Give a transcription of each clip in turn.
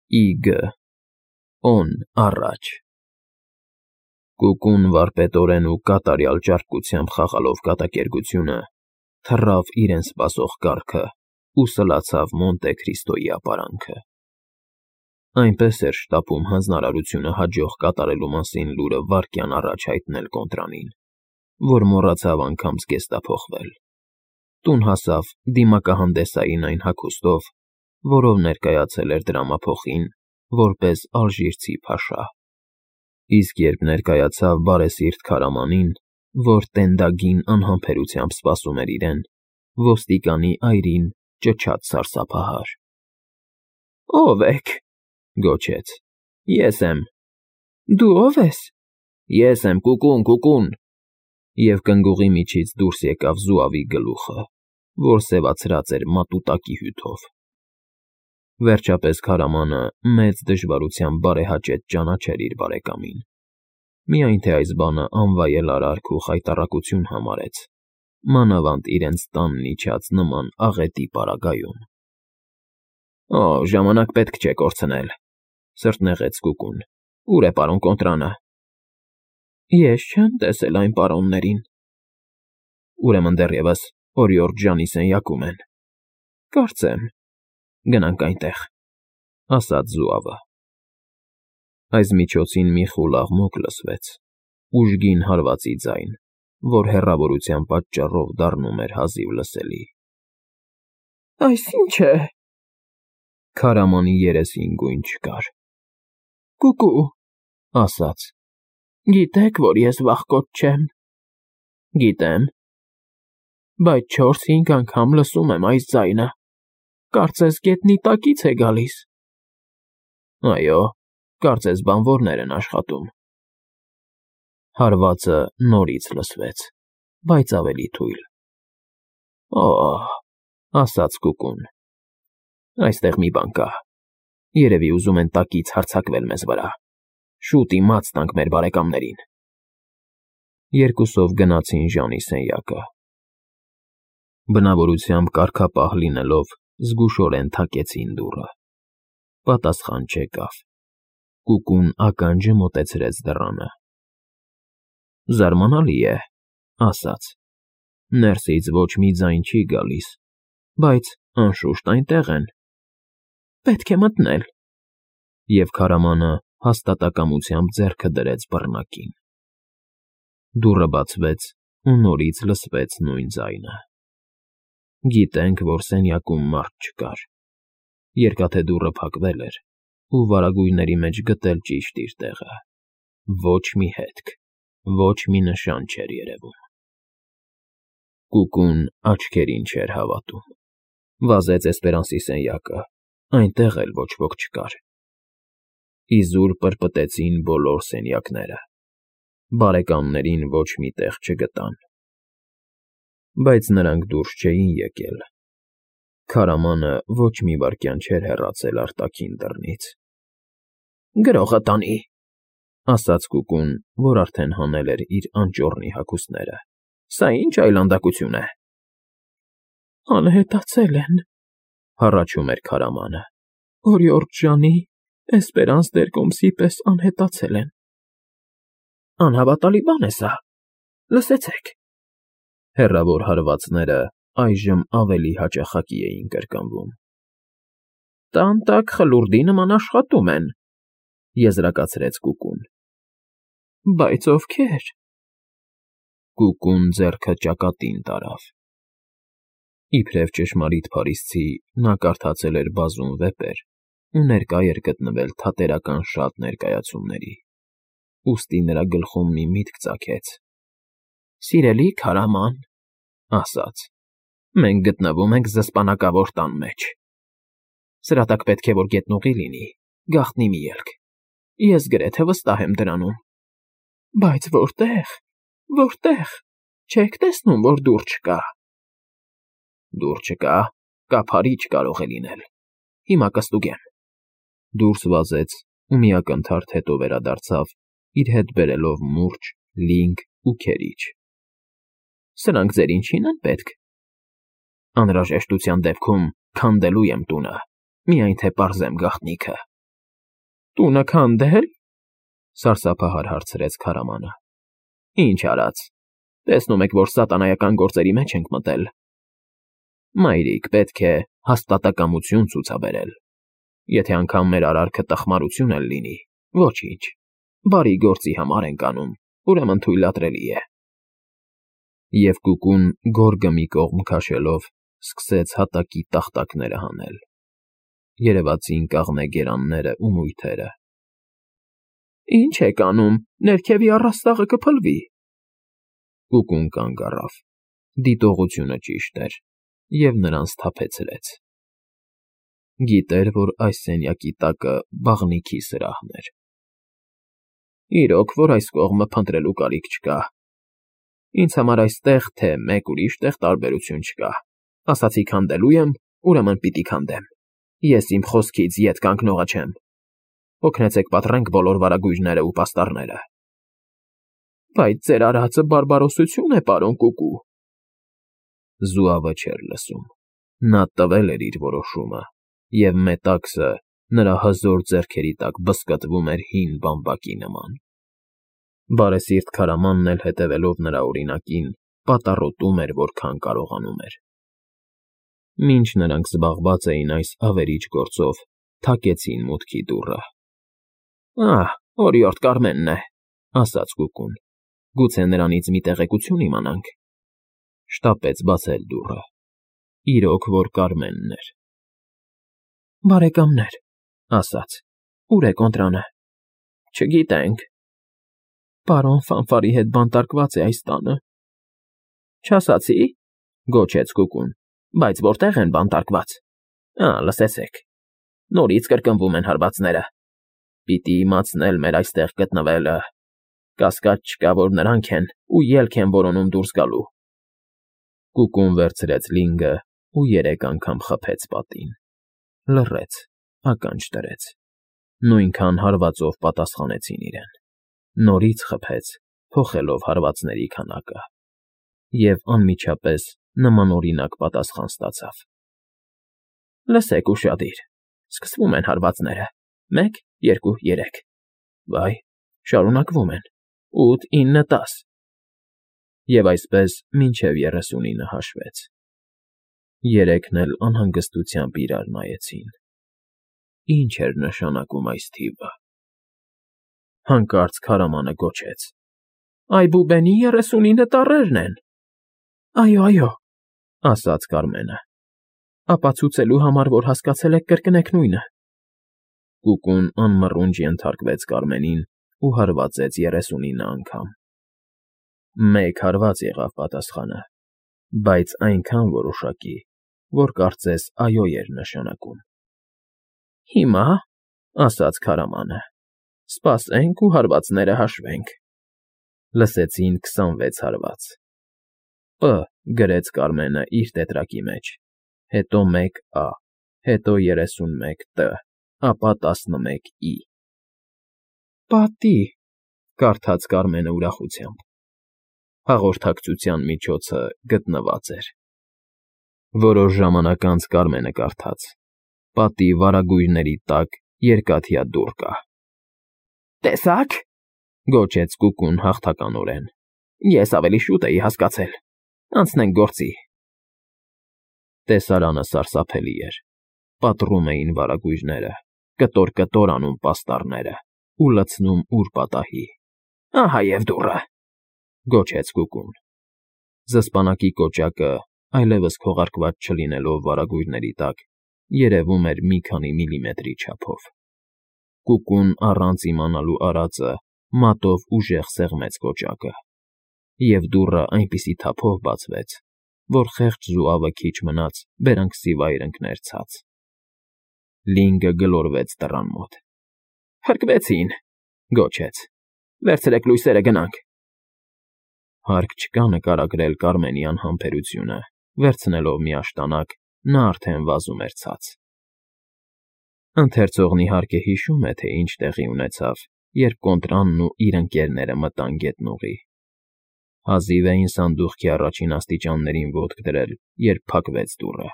Իգ. օն առաջ։ Կուկուն վարպետորեն ու կատարյալ ճարպկությամբ խաղալով կատակերգությունը, թռավ իրեն սպասող կառքը ու սլացավ Մոնտե Քրիստոյի ապարանքը։ Այնպես էր շտապում հանձնարարությունը հաջող կատարելու մասին լուրը վայրկյան առաջ հայտնել կոնտրանին, որ մոռացավ անգամ զգեստափոխվել։ Տուն հասավ դիմակահանդեսային այն հագուստով, որով ներկայացել էր դրամափոխին, որպես ալժիրցի փաշա։ Իսկ երբ ներկայացավ բարեսիրտ քարամանին, որ տենդագին անհամբերությամբ սպասում էր իրեն, ոստիկանի այրին ճչաց սարսափահար. «Ո՞վ եք», գոչեց. «Ես եմ»։ «Դու ո՞վ ես»։ «Ես եմ, Կուկուն»։ Եվ կնգուղի միջից դուրս եկավ զուավի գլուխը, որ սևացրած էր մատուտակի հյութով։ Վերջապես քարամանը մեծ դժվարությամբ բարեհաճեց ճանաչել իր բարեկամին, միայն թե այս բանը անվայել արարք ու խայտառակություն համարեց, մանավանդ իրենց տանն իջած նման աղետի պարագայում։ «Օ, ժամանակ պետք չէ կորցնել», սրտնեղեց Կուկուն։ «Ո՞ւր է պարոն Կոնտրանը»։ «Ես չեմ տեսել այն պարոններին»։ «Ուրեմն դեռևս օրիորդ Ժանի սենյակում են»։ «Կարծեմ»։ «Գնանք այնտեղ», ասաց զուավը։ Այս միջոցին մի խուլ աղմուկ լսվեց, ուժգին հարվածի ձայն, որ հեռավորության պատճառով դառնում էր հազիվ լսելի։ «Այս ի՞նչ է»։ Քարամանի երեսին գույն չկար։ «Կուկու», ասաց։ «Գիտեք, որ ես վախկոտ չեմ»։ «Գիտեմ»։ «Բայց 4-5 անգամ լսում եմ այս ձայնը։ Կարծես գետնի տակից է գալիս»։ «Այո, կարծես բանվորներ են աշխատում»։ Հարվածը նորից լսվեց, բայց ավելի թույլ։ «Օ՜», ասաց Կուկուն։ «Այստեղ մի բան կա։ Երևի ուզում են տակից հարձակվել մեզ վրա։ Շուտ իմաց տանք մեր բարեկամներին»։ Երկուսով գնացին Ժանի սենյակը։ Բնավորությամբ կարգապահ լինելով, զգուշորեն թակեցին դուռը։ Պատասխան չեկավ։ Կուկուն ականջը մոտեցրեց դռանը։ «Զարմանալի է», ասաց։ «Ներսից ոչ մի ձայն չի գալիս, բայց անշուշտ այնտեղ են։ Պետք է մտնել»։ Եվ քարամանը հաստատակամությամբ ձեռքը դրեց բռնակին։ Դուռը բացվեց ու նորից լսվեց նույն ձայնը։ Գիտենք, որ սենյակում մարդ չկար։ Երկաթե դուռը փակվել էր, ու վարագույրների մեջ գտել ճիշտ իր տեղը։ Ոչ մի հետք, ոչ մի նշան չէր երևում։ Կուկուն աչքերին չէր հավատում։ Վազեց Էսպերանսի սենյակը, այնտեղ էլ ոչ ոք չկար։ Իզուր պրպտեցին բոլոր սենյակները։ Բարեկամներին ոչ մի տեղ չգտան։ Բայց նրանք դուրս չէին եկել։ Քարամանը ոչ մի վայրկյան չէր հեռացել արտաքին դռնից։ «Գրողը տանի», ասաց Կուկուն, որ արդեն հանել էր իր անճոռնի հագուստները։ «Սա ի՞նչ այլանդակություն է»։ «Անհետացել են», հառաչում էր քարամանը։ «Օրիորդ Ժանի, Էսպերանս Դերկոմսի պես անհետացել են»։ «Անհավատալի բան է սա։ Լսեցեք»։ Հեռավոր հարվածները այժմ ավելի հաճախակի էին կրկնվում։ «Տան տակ խլուրդի նման աշխատում են», եզրակացրեց Կուկուն։ «Բայց ովքեր»։ Կուկուն ձեռքը ճակատին տարավ։ Իբրև ճշմարիտ փարիսցի, նա կարդացել էր բազում վեպեր ու ներկա էր գտնվել թատերական շատ ներկայացումների, ուստի նրա գլխում մի միտք ծագեց։ «Սիրելի քարաման», ասաց, «մենք գտնվում ենք զսպանակավոր տան մեջ։ Սրա տակ պետք է որ գետնուղի լինի, գաղտնի մի ելք։ Ես գրեթե վստահ եմ դրանում։ Բայց որտե՞ղ, որտե՞ղ։ Չեք տեսնում, որ դուռ չկա»։ «Դուռ չկա, կափարիչ կարող է լինել։ Հիմա կստուգեմ»։ Դուրս վազեց ու մի ակնթարթ հետո վերադարձավ, իր հետ բերելով մուրճ, լինգ ու քերիչ։ «Սրանք ձեր ինչին են պետք»։ «Անհրաժեշտության դեպքում քանդելու եմ տունը, միայն թե պարզեմ գաղտնիքը»։ Տունը քանդե՞լ,֊ սարսափահար հարցրեց քարամանը։ Ինչ արած։ Տեսնում եք, որ սատանայական գործերի մեջ ենք մտել։ Մայրիկ, պետք է հաստատակամություն ցուցաբերել։ Եթե անգամ մեր արարքը տխմարություն էլ լինի, ոչինչ։ Բարի գործի համար ենք անում, ուրեմն թույլատրելի է։ Եվ Կուկուն գորգը մի կողմ քաշելով սկսեց հատակի տախտակները հանել։ Երևացին կաղնե գերանները ու մույթերը։ Ինչ եք անում, ներքևի առաստաղը կփլվի։ Կուկուն կանգ առավ։ Դիտողությունը ճիշտ էր և նրան սթափեցրեց։ Գիտեր, որ այս սենյակի տակը բաղնիքի սրահն էր։ Իրոք, որ այս կողմը փնտրելու կարիք չկա։ Ինձ համար այստեղ, թե մեկ ուրիշ տեղ տարբերություն չկա։ Ասացի քանդելու եմ, ուրեմն պիտի քանդեմ։ Ես իմ խոսքից ետ կանգնողը չեմ։ Օգնեցեք պատռենք բոլոր վարագույրները ու պաստառները։ Բայց ձեր արածը բարբարոսություն է, պարոն Կուկու։ Զուավը չէր լսում։ Նա տվել էր իր որոշումը, և մետաքսը նրա հզոր ձեռքերի տակ բզկտվում էր հին բամբակի նման։ Բարեսիրտ քարամանն էլ հետևելով նրա օրինակին, պատառոտում էր, որքան կարողանում էր։ Մինչ նրանք զբաղված էին այս ավերիչ գործով, թակեցին մուտքի դուռը։ Ահ, օրիորդ Կարմենն է, ասաց Կուկուն։ Գուցե նրանից մի տեղեկություն իմանանք։ Շտապեց բացել դուռը։ Իրոք, որ Կարմենն էր։ Բարեկամներ, ասաց, ուր է կոնտրանը։ Չգիտենք։ Պարոն Ֆանֆարի հետ բանտարկված է այս տանը։ Չասացի, գոչեց Կուկուն, բայց որտեղ են բանտարկված։ Լսեցեք։ Նորից կրկնվում են հարվածները։ Պիտի իմացնել մեր այստեղ գտնվելը։ Կասկած չկա, որ նրանք են ու ելք են որոնում դուրս գալու։ Կուկուն վերցրեց լինգը ու 3 անգամ խփեց պատին։ Լռեց, ականջ դրեց։ Նույնքան հարվածով պատասխանեցին իրեն։ Նորից խփեց, փոխելով հարվածների քանակը։ Եվ անմիջապես նմանօրինակ պատասխան ստացավ։ Լսեք ուշադիր, սկսվում են հարվածները։ 1, 2, 3։ Վայ, շարունակվում են։ 8, 9, 10։ Եվ այսպես մինչև 39 հաշվեց։ 3-ն էլ անհանգստությամբ իրար նայեցին։ Ինչ էր նշանակում այս թիվը։ Հանկարծ քարամանը գոչեց. Այբուբենի 39 տառերն են։ Այո, ասաց Կարմենը։ Ապացուցելու համար, որ հասկացել եք, կրկնեք նույնը։ Կուկուն անմռունչ ենթարկվեց Կարմենին ու հարվածեց 39 անգամ։ 1 հարված եղավ պատասխանը, բայց այնքան որոշակի, որ կարծես այո էր նշանակում։ Հիմա, ասաց քարամանը, սպասենք ու հարվածները հաշվենք։ Լսեցին 26 հարված։ Պ գրեց Կարմենը իր տետրակի մեջ, հետո 1 Ա, հետո 31 Տ, ապա 11 I։ Պատի, կարդաց Կարմենը ուրախությամբ։ Հաղորդակցության միջոցը գտնված էր։ Որոշ ժամանակ անց Կարմենը կարդաց. Պատի վարագույրների տակ երկաթյա դուռ կա։ Տեսա՞ք,֊ գոչեց Կուկուն հաղթականորեն։ Ես ավելի շուտ էի հասկացել։ Անցնենք գործի։ Տեսարանը սարսափելի էր։ Պատռում էին վարագույրները, կտոր-կտոր անում պաստառները ու լցնում ուր պատահի։ Ահա և դուռը, գոչեց Կուկուն։ Զսպանակի կոճակը, այլևս քողարկված չլինելով վարագույրների տակ, երևում էր մի քանի միլիմետրի չափով։ Կուկուն առանց իմանալու արածը մատով ուժեղ սեղմեց կոճակը, և դուռը այնպիսի թափով բացվեց, որ խեղճ զուավը քիչ մնաց բերանքսի վայր ընկներ ցած։ Լինգը գլորվեց դռան մոտ։ Հրկվեցին, գոչեց։ Վերցրեք լույսերը, գնանք։ Հարկ չկա նկարագրել Կարմենի անհամբերությունը, վերցնելով մի աշտանակ, նա արդեն վազում էր ցած։ Ընթերցողն իհարկե հիշում է, թե ինչ տեղի ունեցավ, երբ կոնտրանն ու իր ընկերները մտան գետնուղի։ Հազիվ էին սանդուղքի առաջին աստիճաններին ոտք դրել, երբ փակվեց դուռը։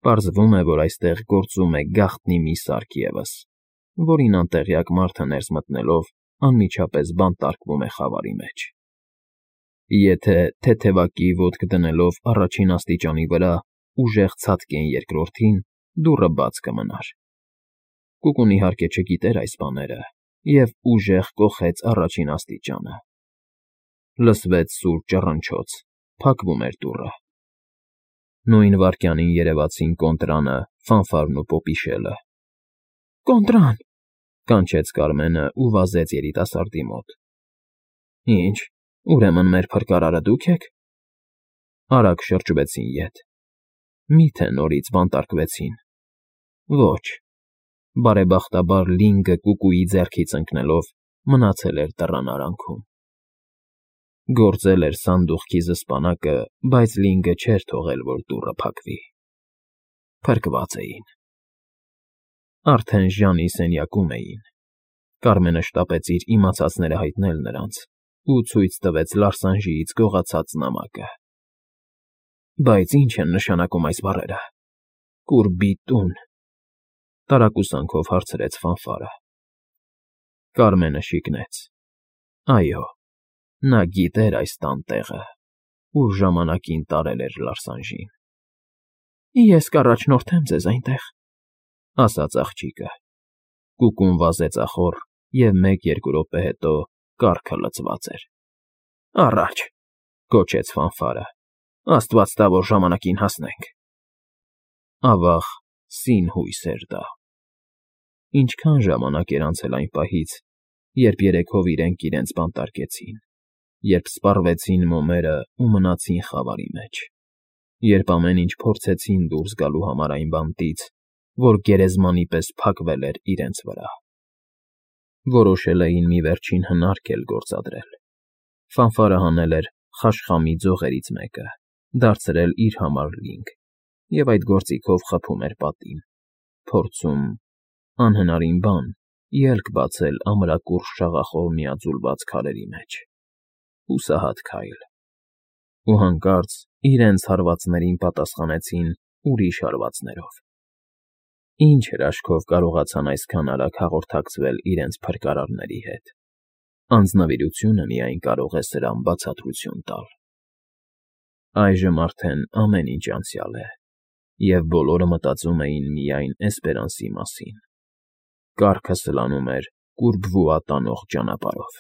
Պարզվում է, որ այստեղ գործում է գաղտնի մի սարք ևս, որին անտեղյակ մարդը ներս մտնելով անմիջապես բանտարկվում է խավարի մեջ։ Եթե թեթևակի ոտք դնելով առաջին աստիճանի վրա ուժեղ ցատկեն երկրորդին, դուռը բաց կմնար։ Կուկուն իհարկե չգիտեր այս բաները և ուժեղ կոխեց առաջին աստիճանը։ Լսվեց սուր ճռնչոց, փակվում էր դուռը։ Նույն վայրկյանին երևացին Կոնտրանը, Ֆանֆարն ու Պոպիշելը։ «Կոնտրան», կանչեց Կարմենը ու վազեց երիտասարդի մոտ։ «Ինչ, ուրեմն մեր փրկարարը դուք եք»։ Արագ շրջվեցին ետ։ Մի՞թե նորից բանտարկվեցին։ Ոչ, բարեբախտաբար Լինգը Կուկուի ձեռքից ընկնելով մնացել էր դռան արանքում։ Գործել էր սանդուղքի զսպանակը, բայց Լինգը չէր թողել, որ դուռը փակվի։ Փրկված էին։ Արդեն Ժանի սենյակում էին։ Կարմենը շտապեց իր իմացածները հայտնել նրանց ու ցույց տվեց Լարսանժիից գողացած նամակը։ Բայց ի՞նչ են նշանակում այս բառերը։ Կուրբի տուն, տարակուսանքով հարցրեց Ֆանֆարը։ Կարմենը շիկնեց։ Այո, նա գիտեր այս տան տեղը, ուր ժամանակին տարել էր Լարսանժին։ Ես կառաջնորդեմ ձեզ այնտեղ, ասաց աղջիկը։ Կուկուն վազեց ախոռ, և 1-2 րոպե հետո կառքը լցված էր։ Առաջ, գոչեց Ֆանֆարը, Աստված տա, որ ժամանակին հասնենք։ Ավաղ, սին հույս էր դա։ Ինչքան ժամանակ էր անցել այն պահից, երբ երեքով իրենք իրենց բանտարկեցին, երբ սպառվեցին մոմերը ու մնացին խավարի մեջ, երբ ամեն ինչ փորձեցին դուրս գալու համար այն բանտից, որ գերեզմանի պես փակվել էր իրենց վրա։ Որոշել էին մի վերջին հնարք էլ գործադրել։ Ֆանֆարը հանել էր խաշխամի ձողերից մեկը, դարձրել իր համար լինգ, և այդ գործիքով խփում էր պատին, փորձում, անհնարին բան, ելք բացել ամրակուրճ շաղախով միաձուլված քարերի մեջ։ Հուսահատ քայլ։ Ու հանկարծ իրենց հարվածներին պատասխանեցին ուրիշ հարվածներով։ Ինչ հրաշքով կարողացան այսքան արագ հաղորդակցվել իրենց փրկարարների հետ։ Անձնվիրությունը միայն կարող է սրան բացատրություն տալ։ Այժմ արդեն ամեն ինչ անցյալ է, և բոլորը մտածում էին միայն Էսպերանսի մասին։ Կառքը սլանում էր կուրբվուա տանող ճանապարհով։